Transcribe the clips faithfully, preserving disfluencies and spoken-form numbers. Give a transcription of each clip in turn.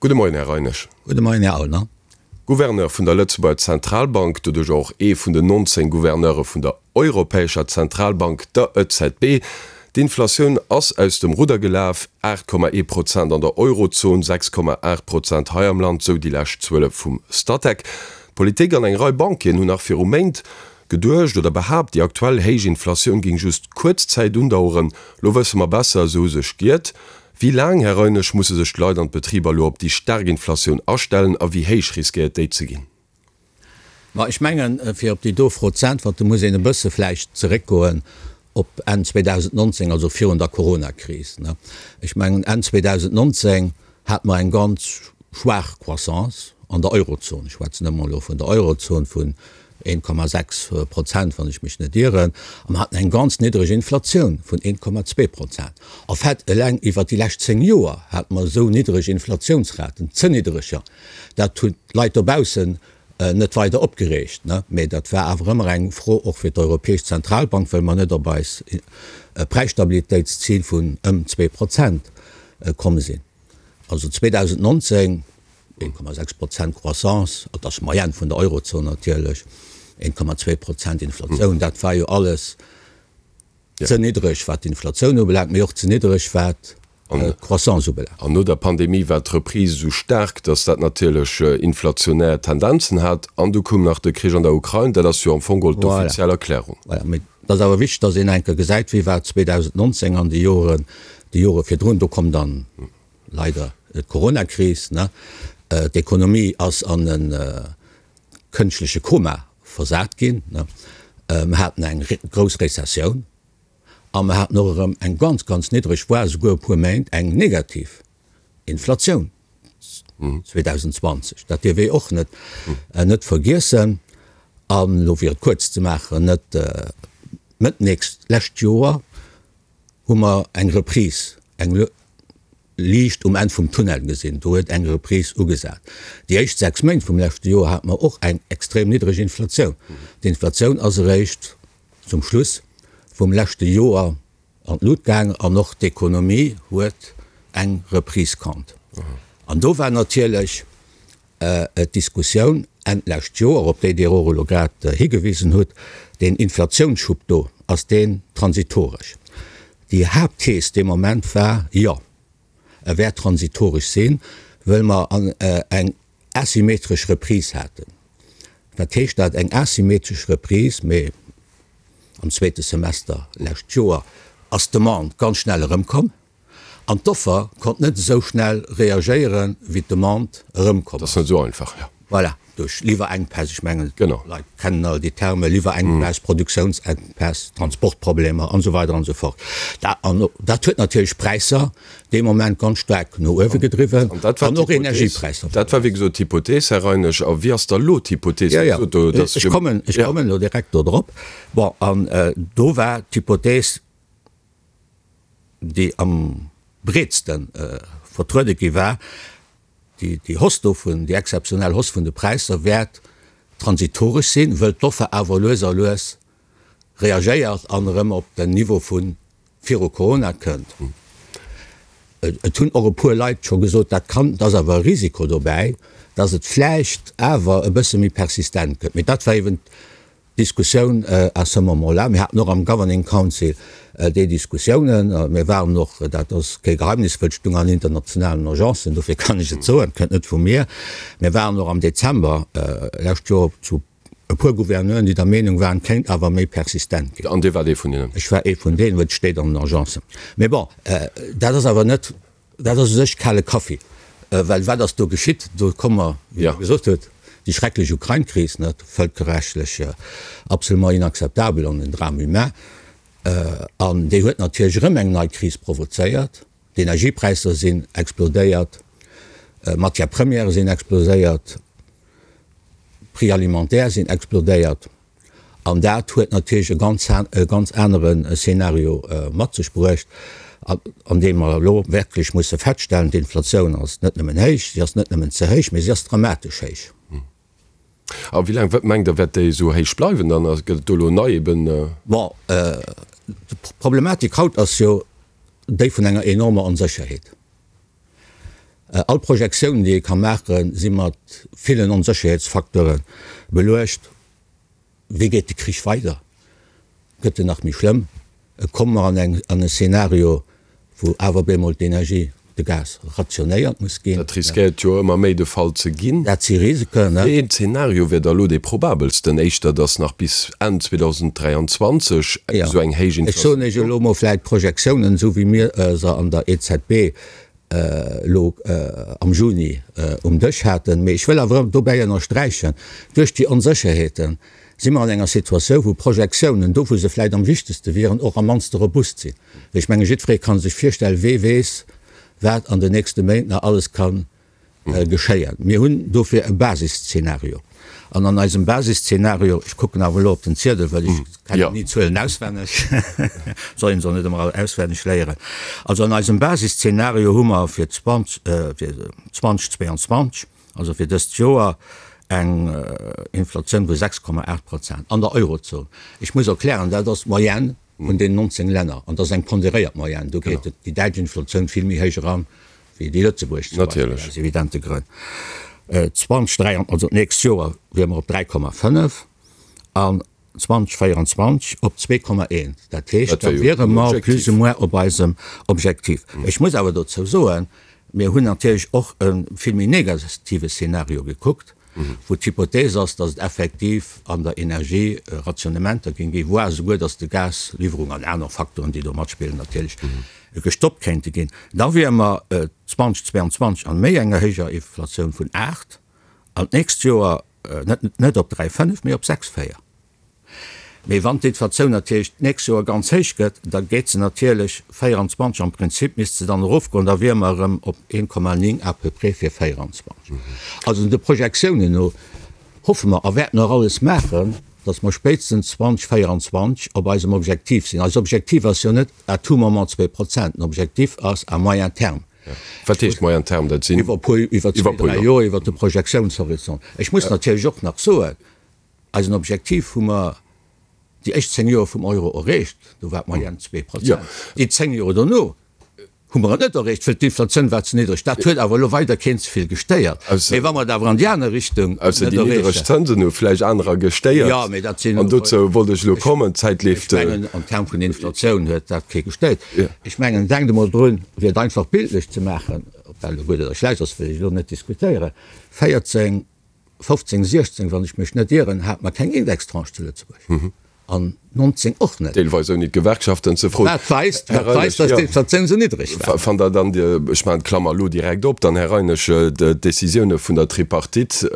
Gudde Moien, Här Reinisch. Gudde Moien, Här Aulner. Gouverneur vun der Lëtzebuerger Zentralbank, doduerch och ee vun den nonzéng Gouverneure vun der Europäescher Zentralbank, der E Z B. D'Inflatioun ass aus dem Rudder gelaf, aacht Komma ee Prozent an der Eurozon, sechs Komma aacht Prozent hei am Land, sou déi lescht Zuele vum Statec. D'Politik an eng Rei Banquieren hunn nach viru Méint geduecht oder behaapt, déi aktuell héich Inflatioun géing just kuerz Zäit undaueren. Lo wësse mer besser, se hu sech giert. Wéi laang, Här Reinisch, musse sech d'Leit an d'Betriber elo op déi staark Inflatioun astellen a wéi héich riskéiert déi ze ginn? Ma ech mengen, fir op déi do Fro ze äntwerten, muss een e bësse vläicht zeréckgoen op Enn zweedausendnonzéng, also virun der Coronakris. Ech mengen, Enn zweedausendnonzéng hate mer eng ganz schwaach Croissance an der Eurozon, ech schwätzen ëmmer elo vun der Eurozon, vun een Komma sechs Prozent, wann ech mech net ieren, a mer haten eng ganz niddreg Inflatioun vun een Komma zwee Prozent. En fait, eleng iwwert déi lescht zéng Joer hate mer esou niddreg Inflatiounsraten, ze niddreger. Dat hunn d'Leit dobaussen net weider opgereegt, mä dat war awer ëmmer eng Fro och fir d'Europäesch Zentralbank, well mer net op eis Präisstabilitéitszil vun ëm zwee Prozent komm sinn. Also zweedausendnonzéng een Komma sechs Prozent Croissance, dat ass d'Moyenne vun der Eurozon natierlech, een Komma zwee Prozent Inflatioun, dat war jo alles ze niddreg wat d'Inflatioun ubelaangt, mee och ze niddreg wat d'Croissance ubelaangt. An no der Pandemie war d'Reprise esou staark, datt dat natierlech inflationär Tendenzen hat. An du koum nach de Krich an der Ukrain. Dat ass jo am Fong geholl d'offiziell Erklärung. Voilà. Mee et ass awer wichteg, datt een eng Kéier gesäit, wéi war et zweedausendnonzéng an déi Joren, déi Jore virdrun. Do koum dann leider d'Coronakris, ne. D'Ekonomie ass an e kënschtleche Koma versat ginn, ne. Mer haten eng grouss Rezessioun a mer haten och erëm eng ganz, ganz niddreg, voire esouguer e puer Méint eng negativ Inflatioun zweedausendzwanzeg. Dat dierf ee och net, net vergiessen. An elo, fir et kuerz ze maachen, net Mëtt nächst, lescht Joer hu mer eng Reprise, eng Liicht um Enn vum Tunnel gesinn. Do huet eng Reprise ugesat. Déi éischt sechs Méint vum leschte Joer hate mer och eng extrem niddreg Inflatioun. D'Inflatioun ass eréischt zum Schluss vum leschte Joer an d'Lut gaang an och d'Ekonomie huet eng Reprise kannt. An do war natierlech d'Diskussioun Enn d'lescht Joer, op déi Dir och elo grad higewisen hutt, deen Inflatiounsschub do, ass deen transitoresch? Déi Haaptthees dee Moment war, jo, e wäert transitoresch sinn, wëll mer eng asymmetresch Reprise haten. Wat heescht dat, eng asymmetresch Reprise? Mee am zweete Semester lescht Joer ass d'Demande ganz schnell erëmkomm an d'Offer konnt net esou schnell reagéieren, wéi d'Demande erëmkomm ass. Dat ass net esou einfach, jo. Voilà, duerch Liwwerenkpäss, ech mengen, d'Leit kennen all déi Termen, Liwwerenkpäss, Produktiounsenkpäss, Transportproblemer an esou weider an esou fort. An dat huet natierlech d'Präisser dee Moment ganz staark no uewe gedriwwen an och Energiepräisser. Dat war, wéi gesot, d'Hypothees, Här Reinisch. A wéi ass da elo d'Hypothees? Jo, jo, ech kommen, ech kommen elo direkt do drop. Bon, an do war d'Hypothees, déi am breetste vertruede gi war, Déi Hausse dovun, déi exzeptionell Hausse vun de Präisser wäert transitoresch sinn, wëll d'Offer awer lues a lues reagéiert an erëm op den Niveau vu viru Corona kënnt. Et hunn och e puer Leit scho gesot, dat kann, et ass awer e Risiko dobäi, datt et vläicht awer e bësse méi persistent gëtt. Mee dat war eeben Diskussioun à ce moment-là. Mir haten och am Governing Council déi Diskussiounen. Mir waren och, dat ass kee Geheimnis, wëll et stung an internationalen Agencen, dofir kann ech et soen, et kënnt net vu mir, mir waren och am Dezember lescht Joer zu e puer Gouverneuren, déi der Meenung waren, et kéint awer méi persistent ginn. An Dir waart ee vun hinnen? Ech war ee vun deenen, well et steet an den Agencen. Mee bon, dat ass awer net Dat ass u sech kale Kaffi, well wat ass do geschitt? Do komme mer, wéi Der gesot hutt, déi schrecklech Ukrain-Kris, net, vëlkerrechtlech absolument inacceptabel an en Drame humain. An déi huet natierlech erëm eng nei Kris provozéiert. D'Energiepräisser sinn explodéiert, d'Matières premières sinn exploséiert, d'Prix alimentaires sinn explodéiert. An dat huet natierlech e ganz, e ganz anere Szenario mat sech bruecht, an deem mer elo wierklech musse feststellen, D'Inflatioun ass net nëmmen héich, si ass net nëmmen ze héich, mee si ass dramatesch héich. A wéi laang, wat mengt Der, wäert déi esou héich bleiwen dann? Gëtt et do elo nei eben? Bon, d'Problematik haut ass jo déi vun enger enormer Onsécherheet. All Projektiounen, déi ee ka maachen, si mat villen Onsécherheetsfacteure beluecht. Wéi geet de Krich weider? Gëtt en nach méi schlëmm? Komme mer an eng, an e Szenario, wou awer op eemol d'Energie, de Gas rationéiert muss ginn? Dat riskéiert jo ëmmer méi de Fall ze ginn. Dat si Risiken, ne? Wéi een Szenario wier da elo dee probabelsten? Éischter, datt nach bis Enn zweedausenddräianzwanzeg esou eng héich Ech soen Inflatioun. Iech elo mol vläicht d'Projektiounen, esou wéi mir se an der E Z B elo am Juni um Dësch haten. Mee ech wëll awer dobäi ënnersträichen, Duerch déi Onsécherheete si mer an enger Situatioun, wou Projektiounen, do wou se vläicht am wichtegste wieren, och am mannste robust sinn. Well ech mengen, jiddweree ka sech virstellen, wee weess, wat an den nächste Méint nach alles ka geschéien. Mir hunn dofir e Basisszenario. An an eisem Basisszenario, ech kucken awer elo op den Ziedel, well ech kennen ni d'Zuelen auswenneg, soll een se och net ëmmer all auswenneg léieren, also an eisem Basisszenario hu mer fir zweedausendzweianzwanzeg, also fir dëst Joer, eng Inflatioun vu sechs Komma aacht Prozent an der Eurozon. Ech muss erklären, dat ass d'Moyenne vun deenen nonzéng Länner an dat ass eng ponderéiert Moyenne. Do geet déi däitsch Inflatioun vill méi héich eran wéi déi lëtzebuergesch zum Beispill, aus evidente Grënn. zweedausenddräi, also d'nächst Joer, wiere mer op dräi Komma fënnef an zweedausenvéieranzwanzeg op zwee Komma eent. Dat heescht, da wiere mer plus ou moins op eisem Objektiv. Ech muss awer dozou soen, mir hunn natierlech och e vill méi negative Szenario gekuckt, wou d'Hypothees ass, datt et effektiv an der Energie Rationnementer géing ginn, voire esouguer, datt de Gasliwwerung an aner Facteuren, déi do matspillen natierlech, gestoppt kéinte ginn. Da wiere mer zweedausendzweianzwanzeg an méi enger héijer Inflatioun vun aacht an d'nächst Joer net net op dräi fënnef, mee op sechs véier. Mee wann d'Inflatioun natierlech d'nächst Joer ganz héich gëtt, da geet se natierlech véieranzwanzeg, am Prinzip misst se dann erofgoen, da wiere mer erëm op een Komma néng à peu près fir véieranzwanzeg. Also de Projektiounen no hoffe mer a wäerten och alles maachen, datt mer spéitstens zweedausenvéieranzwanzeg op eisem Objektiv sinn. Eist Objektiv ass jo net à tout moment zwee Prozent, den Objektiv ass à moyen terme. Wat heescht moyen terme? Dat sinn iwwer e puer, iwwer zwee, dräi Joer, iwwer de Projektiounshorizont. Ech muss natierlech och nach soen, eisen Objektiv hu mer déi éischt zéng Joer vum Euro erreecht, do war d'Moyenne zwee Prozent. Déi zéng Joer dono hu mer et net erreecht, well d'Inflatioun war ze niddreg. Dat huet awer elo weider keen ze vill gestéiert. Mee wa mer et awer an déi aner Richtung net Ausser déi niddreg erreechen. Zënsen hu vläicht anerer gestéiert. Jo, mee dat sinn. An dozou wollt ech elo kommen. D'Zäit Ech leeft. mengen, an Term vun Inflatioun huet dat kee gestéiert. Ech mengen, denkt emol drun, fir et einfach bildlech ze maachen, ob dat elo gutt oder schlecht ass, wëll ech elo net diskutéieren, véierzéng, fofzéng, siechzéng, wann ech mech net ieren, hate mer keng Indextranche zu Lëtzebuerg. An nonzéng och net. Deelweis ouni d'Gewerkschaften ze froen. Wat weist, Här wat weist, Reinesch, dass jo. d'Inflatioun esou niddreg war. Fannt Der dann, Dir, ech maachen d'Klammer elo direkt op, dann, Här Reinesch, d'Décisioune vun der Tripartite,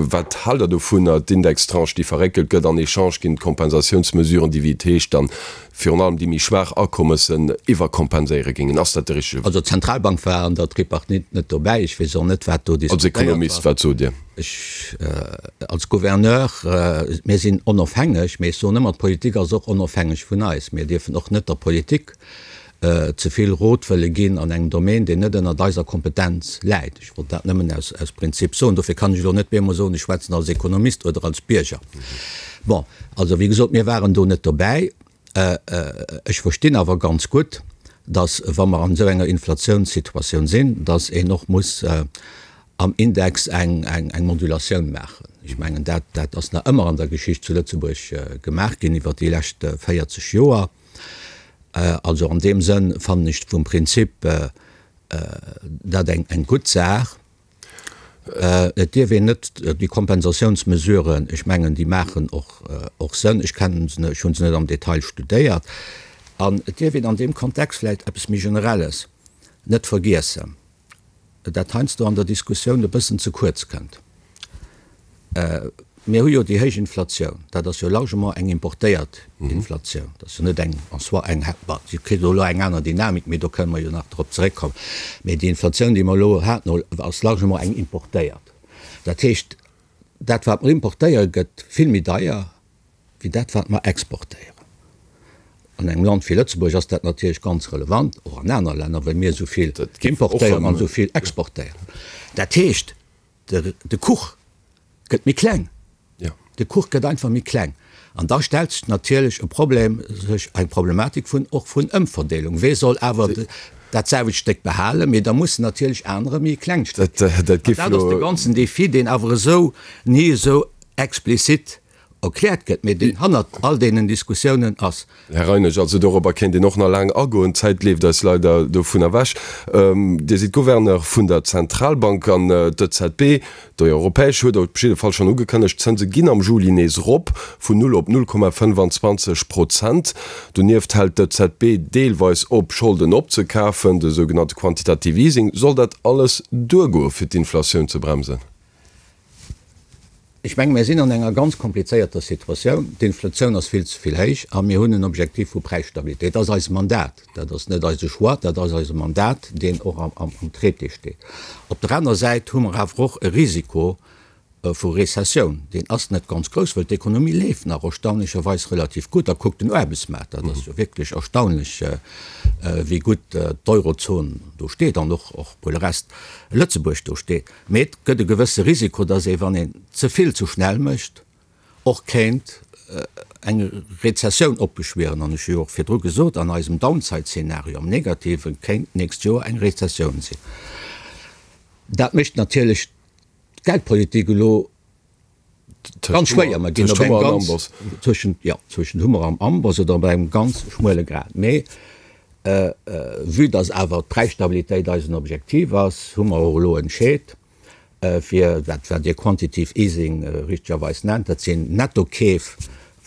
wat haalt Der dovunner, d'Indextranche, déi verréckelt gëtt, en échange ginn d'Kompensatiounsmesuren, déi, wéi et heescht, dann virun allem déi méi schwaach Akommessen iwwerkompenséiere géingen? Ass dat de richtege Wee? Also d'Zentralbank war an der Tripartite net dobäi. Ech weess och net, wat do Als diskutéiert war. Ekonomist, wat sot Dir? Ech als Gouverneur, mir sinn onofhängeg, mee ech soen ëmmer, d'Politik ass och onofhängeg vun eis. Mir dierfen och net der Politik ze vill Rot wëlle ginn an engem Domaine, deen net ënnert eiser Kompetenz läit. Ech wollt dat nëmmen aus aus Prinzip soen. Dofir kann ech elo net bemol soen, ech schwätzen als Ekonomist oder als Bierger. Bon, also wéi gesot, mir waren do net dobäi. Ech verstinn awer ganz gutt, datt, wa mer an esou enger Inflatiounssituatioun sinn, datt een och muss am Index eng eng Modulatioun maachen. Ech mengen, dat dat ass nach ëmmer an der Geschicht zu Lëtzebuerg gemaach ginn iwwert déi lescht véierzeg Joer. Also an deem Sënn fannen ech vum Prinzip dat eng eng gutt Saach. Et dierf een net déi Kompensatiounsmesuren, ech mengen, déi maachen och och Sënn, ech kennen se net, ech hu se net am Detail studéiert. An et dierf een an deem Kontext vläicht eppes méi Generelles net vergiessen, dat heiansdo an der Diskussioun e bëssen ze kuerz kënnt. Mir hu jo déi héich Inflatioun, dat ass jo largement eng importéiert Inflatioun, dat ass jo net eng en soi eng, bon, si kritt elo eng aner Dynamik, mee do kënne mer jo nach drop zeréckkommen, mee déi Inflatioun, déi mer elo haten, ass largement eng importéiert. Dat heescht, dat wat mer importéieren, gëtt vill méi deier wéi dat wat mer exportéieren. An engem Land wéi Lëtzebuerg ass dat natierlech ganz relevant, och an aner Länner, well mir esou vill importéieren an esou vill exportéieren. Dat heescht, de Kuch gëtt méi kleng. De Kuch gëtt einfach méi kleng. An da stellt sech natierlech e Problem, sech eng Problematik vun och vun Ëmverdeelung. Wee soll awer dat selwecht Stéck behalen, mee da mussen natierlech anerer méi e klengt Stéck kréien. An dat ass de ganzen Défi, deen awer esou ni esou explizit erkläert gëtt, mee deen hannert all deenen Diskussiounen ass. Här Reinesch, also dorobber kéint een och nach laang agoen, d'Zäit leeft eis leider dovun ewech. Dir sidd Gouverneur vun der Zentralbank an d'EZB, déi europäesch, huet op jidde Fall schonn ugekënnegt, d'Zënse ginn am Juli nees erop, vun null op null Komma fënnefanzwanzeg Prozent. Donieft hält d'EZB deelweis op, Scholden opzekafen, de sougenannte Quantitative Easing. Soll dat alles duergoe fir d'Inflatioun ze bremsen? Ech menge mir sinn an enger ganz komplizéierter Situatioun. D'Inflatioun ass vill ze vill héich a mir hunn en Objektiv vu Präisstabilitéit. Dat ass eist Mandat. Dat ass net eise Choix, dat ass eise Mandat, deen och am Traité steet. Op der anerer Säit hu mer awer och e Risiko vu Rezessioun. Deen ass net ganz grouss, well d'Ekonomie leeft nach erstaunlecherweis relativ gutt. A kuckt den Aarbechtsmaart, dat ass jo wierklech erstaunlech, wéi gutt d'Eurozon do steet an och pour le reste Lëtzebuerg do steet. Mee et gëtt e gewësse Risiko, datt ee, wann een ze vill ze schnell mécht, och kéint eng Rezessioun opbeschwieren. An ech hu jo och virdru gesot, an eisem Downside-Szenario, am Negativen, kéint d'nächst Joer eng Rezessioun sinn. Dat mécht natierlech d'Geldpolitik elo ganz schwéier. Mer ginn op engem ganz, tëschent, jo, tëschent Hummer am Amboss oder op engem ganz schmuele Grat. Mee vue dass awer d'Präisstabilitéit eisen Objektiv ass, hu mer och elo entscheet, fir dat, wat Dir Quantitative Easing richtegerweis nennt, dat sinn Nettokeef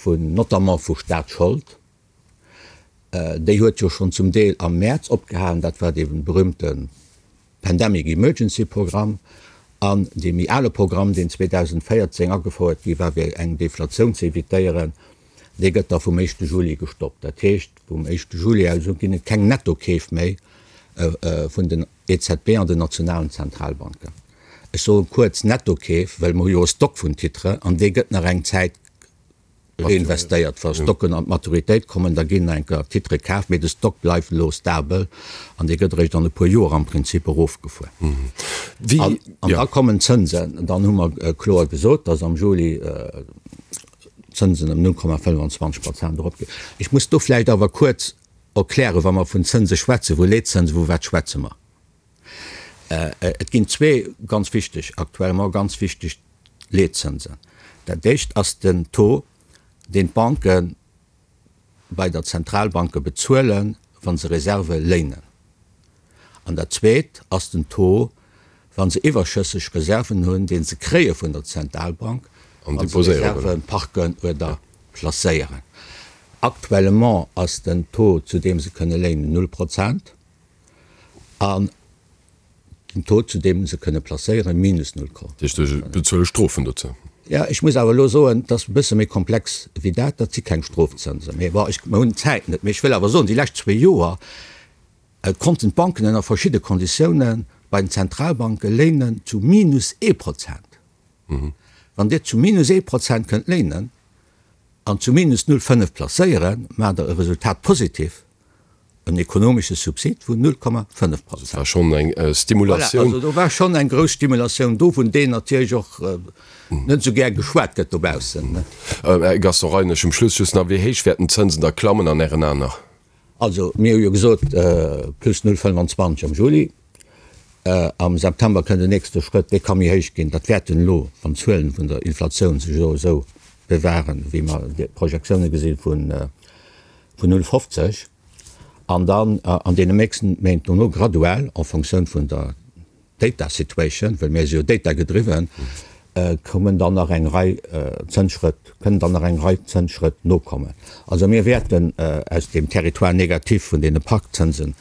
vun, notamment vu Staatsschold, déi huet jo schonn zum Deel am Mäerz opgehalen, dat war dee berühmte Pandemic Emergency Programm an dee méi ale Programm, deen zweedausendvéierzéng agefouert gi war, fir eng Deflatioun ze evitéieren, dee gëtt da vum éischte Juli gestoppt. Dat heescht, vum éischte Juli aus u ginn et keng Nettokeef méi vun den E Z B an den nationalen Zentralbanken. Ech soe kuerz Nettokeef, well mer hu jo e Stock vun Titre an dee gëtt nach eng Zäit reinvestéiert. Wa Stocken an d'Maturitéit kommen, da ginn nach eng Kéier Titre kaf, mee de Stock bleift elo stabel an dee gëtt eréischt an e puer Joer am Prinzip erofgefuer. An da kommen d'Zënsen. Dann hu mer kloer gesot, dass am Juli d'Zënsen ëm null Komma fënnfanzwanzeg Prozent eropginn. Ech muss do vläicht awer kuerz erklären, wa mer vun Zënse schwätzen, vu Leetzënsen, vu wat schwätze mer? Et ginn zwee ganz wichteg, actuellement ganz wichteg Leetzënsen. Dat éischt ass den Taux, deen d'Banke bei der Zentralbanke bezuelen, wa se Reserve léinen. An dat zweet ass den Taux, wa se iwwerschësseg Reserven hunn, dee se kréie vun der Zentralbank, wa se Reserve parken oder placéieren. Actuellement ass den Taux, zu deem se kënne léinen, null Prozent. An den Taux, zu deem se kënne placéieren, minus null Komma. Dat heescht, se bezuele Strofen dozou? Jo, ech muss awer elo soen, et ass e bësse méi komplex wéi dat. Dat si keng Strofzënsen. Mee bon, ech, mer hunn d'Zäit net. Mee ech wëll awer soen, déi lescht zwee Joer konnten d'Banken ënner verschidde Konditiounen bei den Zentralbanke léinen zu minus ee Prozent. Wann Dir zu minus ee Prozent kënnt léinen an zu minus null fënnef placéieren, maacht Der e Resultat positif. En ekonomesche Subsid vun null Komma fënnef Prozent. Dat war schonn eng Stimulatioun. Voilà, also do war schonn eng grouss Stimulatioun do, vun deem natierlech och net esou gär geschwat gëtt dobaussen. Här Gaston Reinesch, um Schluss just nach, Wéi héich wäerten d'Zënsen da klammen an Ären Aen nach? Also mir hu jo gesot, plus null fënnfanzwanzeg am Juli. Am September kënnt den nächste Schrëtt, dee ka méi héich ginn. Dat wäerten elo, wann d'Zuelen vun der Inflatioun sech elo esou bewahren, wéi mer d'Projektioune gesi vun null fofzeg, an dann an deene nächsten Méint dono graduell en Fonctioun vun der Data Situation, well mir si jo data gedriwwen, kommen dann nach eng Rei Zënsschrëtt, kënnen dann nach eng Rei Zënsschrëtt nokommen. Also mir wäerten aus deem Territoire négatif vun deene Parkzënsen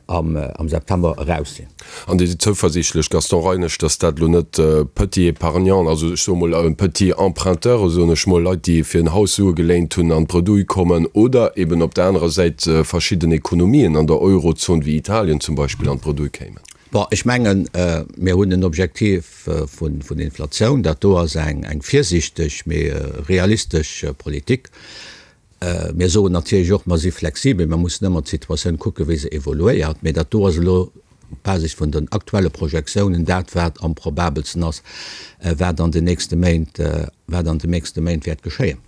am September eraus sinn. An Dir sidd zouversiichtlech, Gaston Reinesch, datt dat elo net Petits épargnants, also ech soe mol Petits emprunteurs, soen ech mol, Leit, déi fir en Haus Sue geléint hunn, an d'Bredouille kommen, oder eben op der anerer Säit verschidden Ekonomien an der Eurozon, wéi Italien zum Beispill, an d'Bredouille kéimen? Bon, ech mengen, mir hunn en Objektiv vun Inflatioun. Dat do ass eng virsiichteg, mee realistesch Politik. Mir soen natierlech och, mer si flexibel, mer mussen ëmmer d'Situatioun kucken, wéi se evoluéiert. Mee dat do ass elo op Basis vun den aktuelle Projektiounen dat, wat am probabelsten ass, wat an den nächste Méint, wat an den nächste Méint wäert geschéien.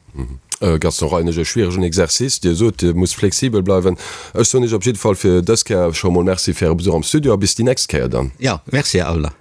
Gaston Reinesch, E schwieregen Exercice. Dir sot, Dir musst flexibel bleiwen. Ech soen Iech op jidde Fall fir dës Kéier scho mol Merci fir Äre Besuch am Studio a bis déi nächst Kéier dann. Jo, Merci, Här Aulner.